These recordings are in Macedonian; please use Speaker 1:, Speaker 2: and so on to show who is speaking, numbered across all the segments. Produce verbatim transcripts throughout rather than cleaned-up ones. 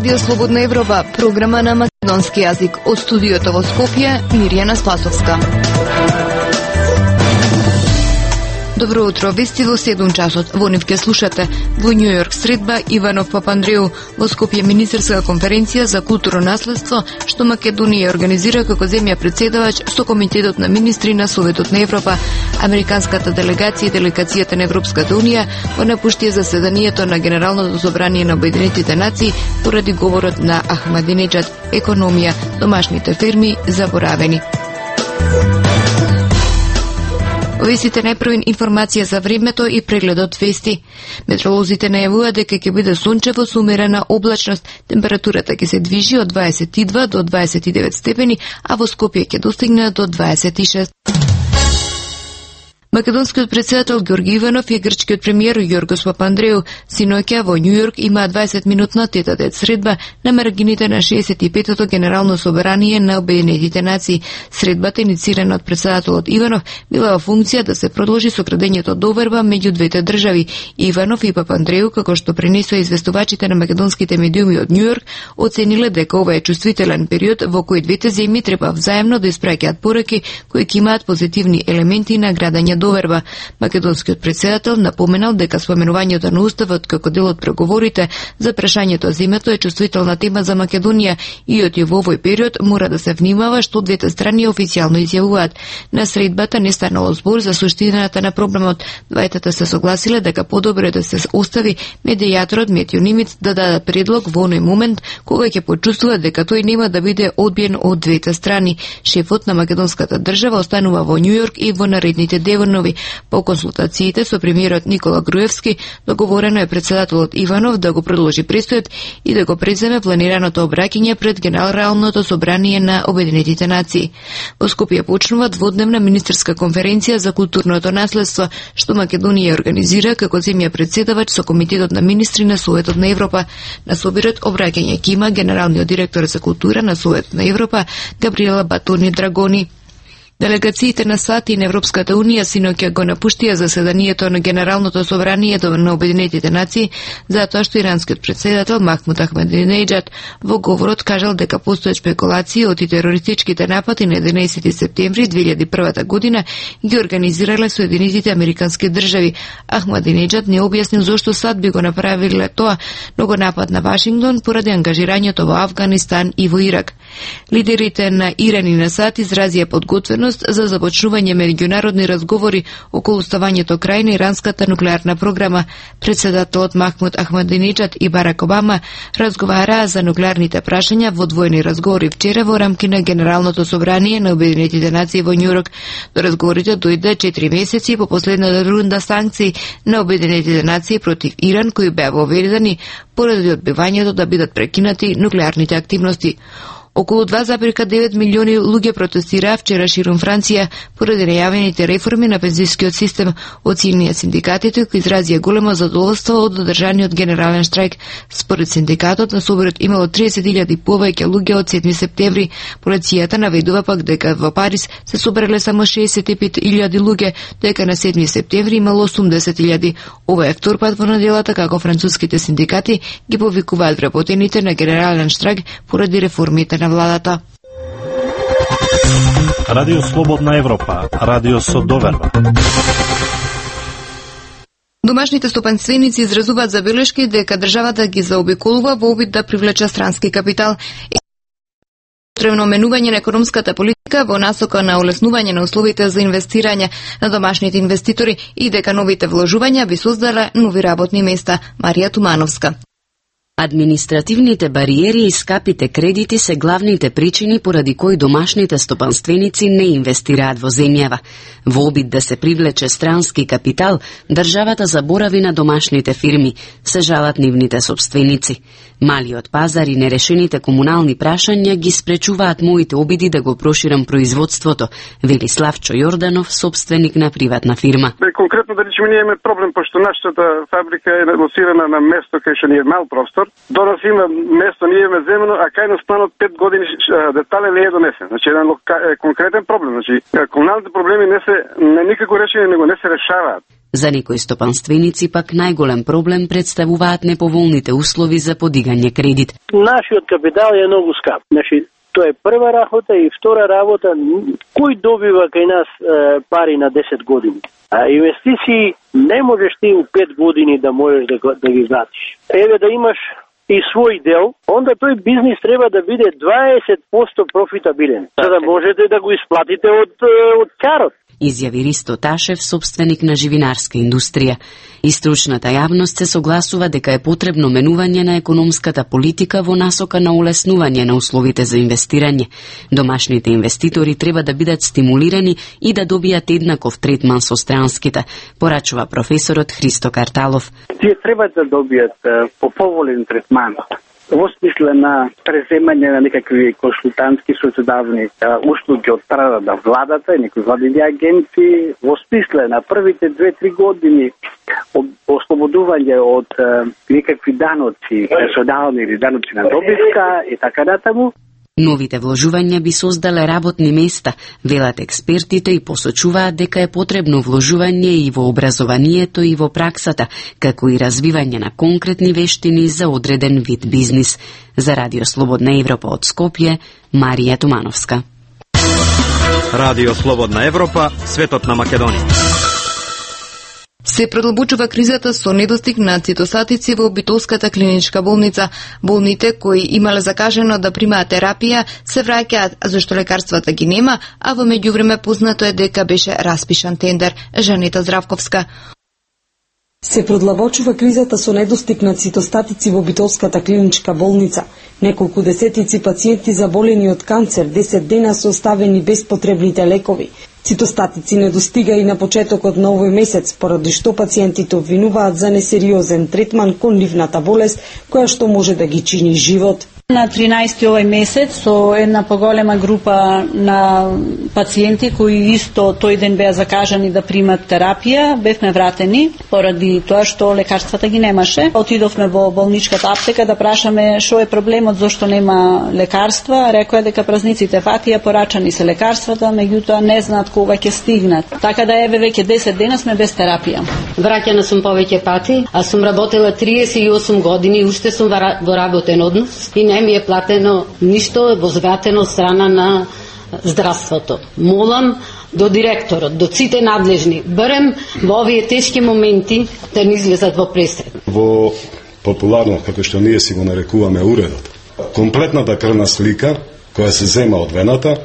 Speaker 1: Радио Слободна Европа, програма на македонски јазик. Од студиото во Скопје, Мирјана Спасовска. Добро утро, вести во седум часот. Во нив ке слушате: во Њу Јорк средба Иванов Папандреу, во Скопје министерска конференција за културно наследство што Македонија организира како земја председавач со Комитетот на министри на Советот на Европа. Американската делегација и делегацијата на Европската унија го напушти заседанието на Генералното собрание на Обединетите нации поради говорот на Ахмадинеџад: економија, домашните фирми заборавени. Овесите најпрвин информација за времето и прегледот вести. Метеоролозите најавуваат дека ќе биде сончево со умерена облачност. Температурата ќе се движи од дваесет и два до дваесет и девет степени, а во Скопје ќе достигне до дваесет и шест. Македонскиот председател Ѓорги Иванов и грчкиот премиер Јоргос Папандреу синоќа во Њу Јорк имаа дваесет минутна тет-а-тет средба на маргините на шеесет и петото Генерално собрание на Обединетите нации. Средбата, инициирана од председателот Иванов, била во функција да се продолжи сокрадењето доверба меѓу двете држави. Иванов и Папандреу, како што пренесоа известувачите на македонските медиуми од Њу Јорк, оцениле дека ова е чувствителен период во кој двете земји треба взаемно да испраќаат пораки кои ќе имаат позитивни елементи на градење доверба. Македонскиот председател напоменал дека споменувањето на уставот како дел од преговорите за прашањето за името е чувствителна тема за Македонија и од во овој период мора да се внимава што двете страни официјално изјавуваат. На средбата не станало збор за суштината на проблемот. Двајтата се согласиле дека подобро да се остави медијаторот Метју Нимиц да даде предлог во оној момент кога ќе почувствува дека тој нема да биде одбиен од двете страни. Шефот на македонската држава останува во Њу Јорк и во наредните денови. По консултациите со премиерот Никола Груевски, договорено е председателот Иванов да го продолжи престојот и да го преземе планираното обраќање пред Генералното собрание на Обединетите нации. Во Скопје почнува дводневна министерска конференција за културното наследство што Македонија организира како земја председавач со Комитетот на министри на Советот на Европа. На собирот обраќање ќе има генералниот директор за култура на Советот на Европа Габриела Батони Драгони. Делегациите на САД и на Европската унија синоќа го напуштија заседанието на Генералното собрание на Обединетите нации затоа што иранскиот председател Махмуд Ахмадинеџад во говорот кажал дека постојат спекулации од терористичките напади на единаесети септември две илјади и прва година ги организирале Соединетите американски држави. Ахмадинеџад не објаснил зошто САД би го направиле тоа, но го напад на Вашингтон поради ангажирањето во Авганистан и во Ирак. Лидерите на Иран и на САД изразија подготвеност за започнување меѓународни разговори околу ставањето крај на иранската нуклеарна програма. Председателот Махмуд Ахмадинеџад и Барак Обама разговараа за нуклеарните прашања во двојни разговори вчера во рамки на Генералното собрание на Обединетите нации во Њу Јорк. До разговорите дојде четири месеци по последната рунда санкции на Обединетите нации против Иран кои беа воведени поради одбивањето да бидат прекинати нуклеарните активности. Околу два зарез и девет милиони луѓе протестираа вчера ширум Франција поради најавените реформи на пензискиот систем. Оценија синдикатите кои изразија големо задоволство од одржаниот генерален штрајк. Според синдикатот на соборот имало триесет илјади повеќе луѓе од седми септември. Полицијата наведува пак дека во Париз се собрале само шеесет и пет илјади луѓе, дека на седми септември имало осумдесет илјади. Ова е втор пат во неделата како француските синдикати ги повикуваат вработените на генерален штрајк поради реформите на владата.
Speaker 2: Радио Слободна Европа, радио со доверба.
Speaker 1: Домашните стопанственици изразуваат забелешки дека државата ги заобиколува во обид да привлече странски капитал. Потребно менување на економската политика во насока на олеснување на условите за инвестирање на домашните инвеститори и дека новите вложувања би создале нови работни места. Марија Тумановска.
Speaker 3: Административните бариери и скапите кредити се главните причини поради кои домашните стопанственици не инвестираат во земјава. Во обид да се привлече странски капитал, државата заборави на домашните фирми, се жалат нивните собственици. Малиот пазар и нерешените комунални прашања ги спречуваат моите обиди да го проширам производството, вели Славчо Јорданов, собственик на приватна фирма.
Speaker 4: Бе, конкретно да речеме ние имаме проблем, пошто нашата фабрика е лоцирана на место кај што ни е мал простор донес има место, ние имаме земено, а кај нас планот пет години детален не е донесен. Значи еден конкретен проблем. Значи комуналните проблеми не се не никако решени, него не се решаваат.
Speaker 3: За некои стопанственици пак најголем проблем представуваат неповолните услови за подигање кредит.
Speaker 5: Нашиот капитал е многу скап. Значи тоа е прва работа и втора работа, кој добива кај нас е, пари на десет години. А инвестиции не можеш ти у пет години да можеш да, да ги вратиш. Еве да имаш и свој дел, онда тој бизнис треба да биде дваесет проценти профитабилен, за да можете да го исплатите од, од карот.
Speaker 3: Изјави Ристо Ташев, собственик на живинарска индустрија. И стручната јавност се согласува дека е потребно менување на економската политика во насока на улеснување на условите за инвестирање. Домашните инвеститори треба да бидат стимулирани и да добијат еднаков третман со странските, порачува професорот Христо Карталов.
Speaker 6: Тие треба да добијат поповолен третман во смисла на преземање на некакви консултантски социдавни услуги од страна на владата и некои владини агенции, во смисла на првите две-три години ослободување од некакви даноци, персонални или даноци на добивка и така натаму.
Speaker 3: Новите вложувања би создале работни места, велат експертите и посочуваат дека е потребно вложување и во образованието и во праксата, како и развивање на конкретни вештини за одреден вид бизнис. За Радио Слободна Европа од Скопје, Марија Тумановска.
Speaker 2: Радио Слободна Европа, светот на Македонија.
Speaker 1: Се продлабочува кризата со недостиг на цитостатици во Битолската клиничка болница. Болните кои имале закажено да примаат терапија се враќаат зашто лекарствата ги нема, а во меѓувреме познато е дека беше распишан тендер. Жанета Здравковска.
Speaker 7: Се продлабочува кризата со недостиг на цитостатици во Битолската клиничка болница. Неколку десетици пациенти заболени од канцер десет дена се оставени без потребните лекови. Цитостатици недостига и на почетокот на овој месец, поради што пациентите обвинуваат за несериозен третман кон нивната болест, која што може да ги чини живот.
Speaker 8: На тринаесети овој месец со една поголема група на пациенти кои исто тој ден беа закажани да примат терапија, бевме вратени поради тоа што лекарствата ги немаше. Отидовме во болничката аптека да прашаме што е проблемот, зошто нема лекарства. Рекоа дека празниците фатија, порачани се лекарствата, меѓутоа не знаат кога ќе стигнат. Така да еве веќе десет дена сме без терапија.
Speaker 9: Враќана сум повеќе пати, а сум работела триесет и осум години, уште сум во работен однос и не ми е платено ништо возвратено страна на здравството. Молам до директорот, до сите надлежни, барем во овие тешки моменти да не излезат во пресред.
Speaker 10: Во популарно, како што ние си го нарекуваме уредот, комплетната крвна слика која се зема од вената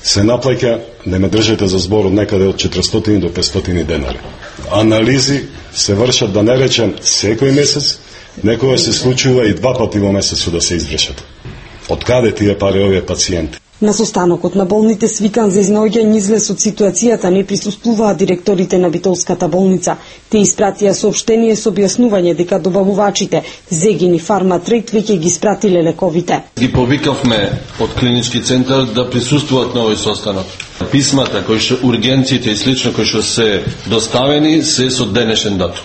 Speaker 10: се наплаќа, да ме држите за збор, од некаде од четиристотини до петстотини денари. Анализи се вршат, да не речем, секој месец, некоја се случува и два пати во месецот да се извршат. Од каде тие пари овие пациенти?
Speaker 7: На состанокот на болните свикан за изнаоѓање излез од ситуацијата не присуствуваа директорите на Битолската болница. Те испратија соопштение со објаснување дека добавувачите Зегини Фарма Трейд веќе ги испратиле лековите.
Speaker 11: Ги повикавме од клинички центар да присуствуваат на овој состанок. Писмата кои што ургенциите и слично кои што се доставени се со денешен датум.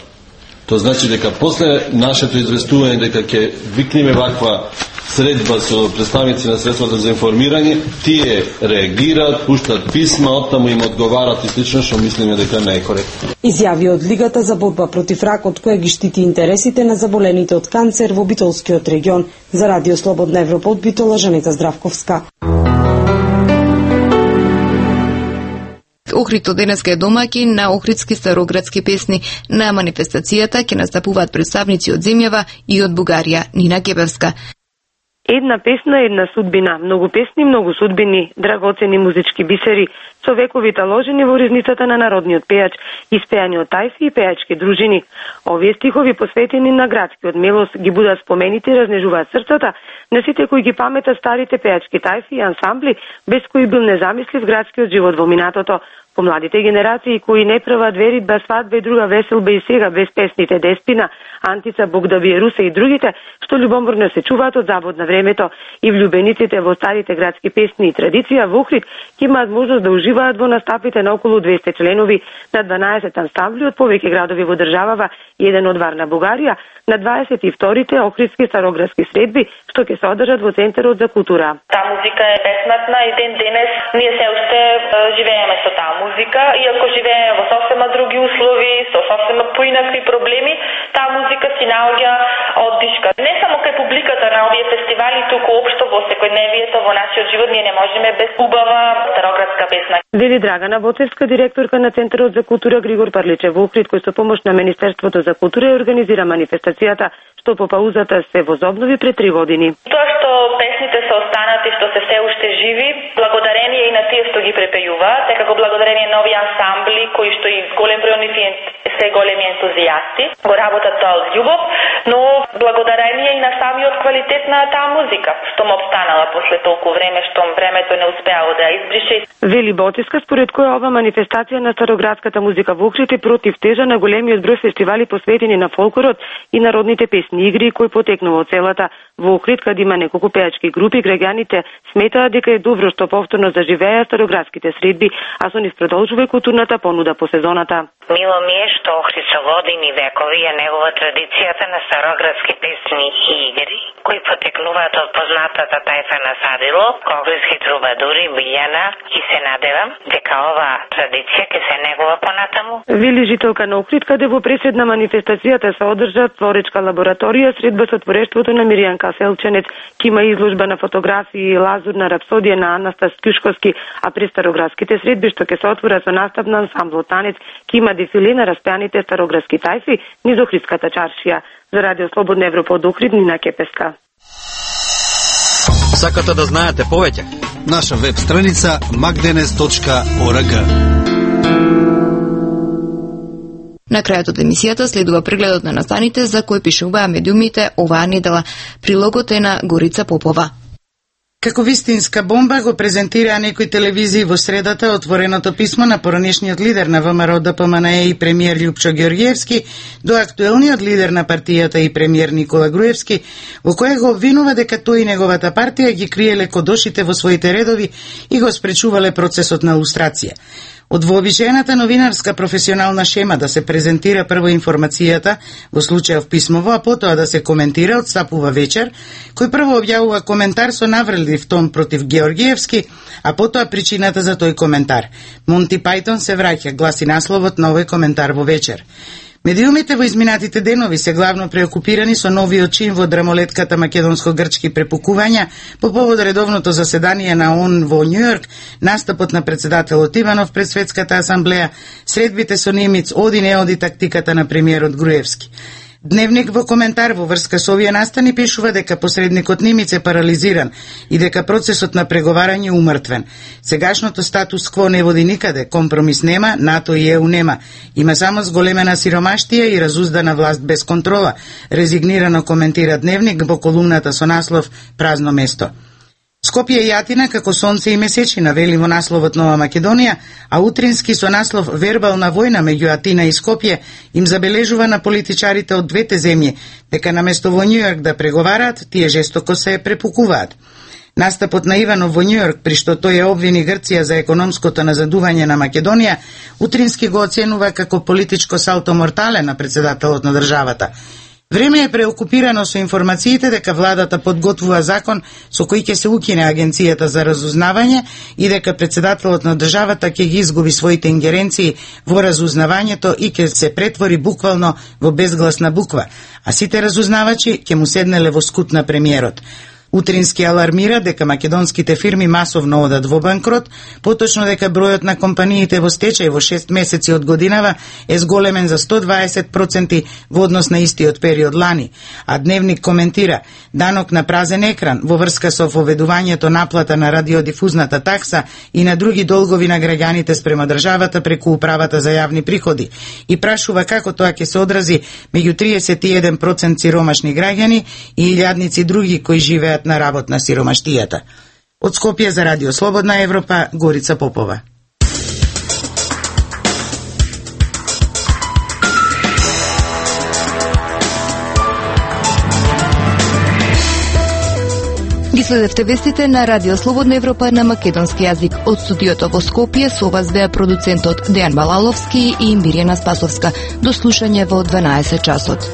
Speaker 11: Тоа значи дека после нашето известување дека ќе викнеме ваква средба со представници на средствата за информирање, тие реагираат, пуштат писма, оттаму им одговарат и слично, што мислиме дека не е коректно.
Speaker 7: Изјави од Лигата за борба против ракот, која ги штити интересите на заболените од канцер во Битолскиот регион. За Радио Слободна Европа од Битола, Жанета Здравковска.
Speaker 1: Охридто денеска е домаќин на охридски староградски песни. На манифестацијата ќе настапуваат представници од земјава и од Бугарија. Нина Гебевска.
Speaker 12: Една песна, една судбина. Многу песни, многу судбини, драгоцени музички бисери, со вековите ложени во ризницата на народниот пејач, испеани од тајфи и пејачки дружини. Овие стихови посветени на градскиот мелос ги будат спомените и разнежуваат срцата на сите кои ги паметат старите пејачки тајфи и ансамбли, без кои бил незамислив градскиот живот во минатото. Помладите генерации кои не прават веридба, свадба и друга веселба и сега без песните Деспина, Антица, Бог да бие Русе и другите, што љубоморно се чуваат од забод на времето, и влюбениците во старите градски песни и традиција во Охрид ќе имаат можност да уживаат во настапите на околу двесте членови на дванаесет ансамбли од повеќе градови во државава и еден од Варна, Бугарија, на дваесет и вторите Охридски староградски средби, што ќе се одржат во Центарот за култура.
Speaker 13: Таа музика е бесмртна и ден денес ние се уште живееме со таа музика, иако живееме во сосема други услови, со сосема поинакви проблеми, таа музика си наоѓа оддишка. Не само кај публиката на овие фестивали, туку општо во секојдневието во нашиот живот ние не можеме без убава староградска песна.
Speaker 12: Вели Драгана Боцевска, директорка на Центарот за култура Григор Парличев во Охрид, кој со помош на Министерството за култура организира манифестацијата што по паузата се возобнови пред три години.
Speaker 13: Тоа што песните се останати, што се се уште живи, благодарение и на тие што ги препејуваат, е како благодарение на овие ансамбли кои што и голем број нив се големи ентузијасти, го работат тоа од љубов, но благодарение и на самиот квалитет на таа музика, што му обстанала после толку време, што времето не успеало да ја избрише.
Speaker 12: Вели Боцевска, според која ова манифестација на староградската музика во Охрид е против тежа на големиот број фестивали посветени на фолклорот и народните песни игри кои потекнува од целата во Охрид, каде има неколку пејачки групи, граѓаните сметаат дека е добро што повторно заживеа староградските средби, а со нив продолжува културната понуда по сезоната.
Speaker 14: Мило ми е што Охрид со години векови е негова традицијата на староградски песни и игри, кои потекнуваат од познатата тајфа на Садило, охридски трубадури, Билјана, и се надевам дека ова традиција ќе се негова понатаму.
Speaker 12: Вели жителка на Охрид, каде во пресед на манифестацијата се одржа творечка лабораторија, средба со творештвото на Миријан Каселченец, ќе има изложба на фотографии и лазурна рапсодија на Анастас Кјушковски, а при староградските средби што ќе се отвора со настап на ансамбл Танец, ќе има дефиле на распеаните староградски тајфи низ Охридската чаршија. За Радио Слободна Европа од Охрид, Нина Кепеска.
Speaker 2: Сакате да знаете повеќе?
Speaker 15: Наша веб страница magdenes точка org.
Speaker 1: На крајот од емисијата следува прегледот на настаните за кои пишуваа медиумите оваа недела. Прилогот е на Горица Попова.
Speaker 16: Како вистинска бомба го презентираа некои телевизии во средата отвореното писмо на поранешниот лидер на ВМРО Д П М Н Е и премиер Љупчо Ѓорѓиевски до актуелниот лидер на партијата и премиер Никола Груевски, во кое го обвинува дека тој и неговата партија ги криеле кодошите во своите редови и го спречувале процесот на лустрација. Од вообичаената новинарска професионална шема да се презентира прво информацијата, во случајов писмово, а потоа да се коментира, одстапува Вечер, кој прво објавува коментар со навредлив тон против Ѓорѓиевски, а потоа причината за тој коментар. Монти Пајтон се враќа, гласи насловот на овој коментар во Вечер. Медиумите во изминатите денови се главно преокупирани со новиот чин во драмолетката македонско-грчки препукувања по повод редовното заседание на ООН во Њујорк, настапот на председателот Иванов пред Светската асамблеја, средбите со Немиц, оди не оди тактиката на премиерот Груевски. Дневник во коментар во врска со овие настани пишува дека посредникот Немиц е парализиран и дека процесот на преговарање умртвен. Сегашното статус кво не води никаде, компромис нема, НАТО и Е У нема. Има само зголемена сиромаштија и разуздана власт без контрола, резигнирано коментира Дневник во колумната со наслов Празно место. Скопје и Атина како сонце и месечина, вели во насловот Нова Македонија, а утрински со наслов Вербална војна меѓу Атина и Скопје им забележува на политичарите од двете земји дека наместо во Њујорк да преговараат, тие жестоко се препукуваат. Настапот на Иванов во Њујорк, при што тој ја обвини Грција за економското назадување на Македонија, утрински го оценува како политичко салто мортале на председателот на државата. Време е преокупирано со информациите дека владата подготвува закон со кој ќе се укине Агенцијата за разузнавање и дека председателот на државата ќе ги изгуби своите ингеренции во разузнавањето и ќе се претвори буквално во безгласна буква, а сите разузнавачи ќе му седнеле во скут на премиерот. Утрински алармира дека македонските фирми масовно одат во банкрот, поточно дека бројот на компаниите во стечај во шест месеци од годинава е зголемен за сто дваесет проценти во однос на истиот период лани, а Дневник коментира данок на празен екран во врска со воведувањето наплата на радиодифузната такса и на други долгови на граѓаните спрема државата преку управата за јавни приходи и прашува како тоа ќе се одрази меѓу триесет и еден проценти сиромашни граѓани и илјадници други кои живеат на работ на сиромаштијата. Од Скопје за Радио Слободна Европа, Горица Попова.
Speaker 1: Следевте вестите на Радио Слободна Европа на македонски јазик. Од студиото во Скопје со вас беа продуцентот Дејан Балаловски и Мирјана Спасовска. До слушање во дванаесет часот.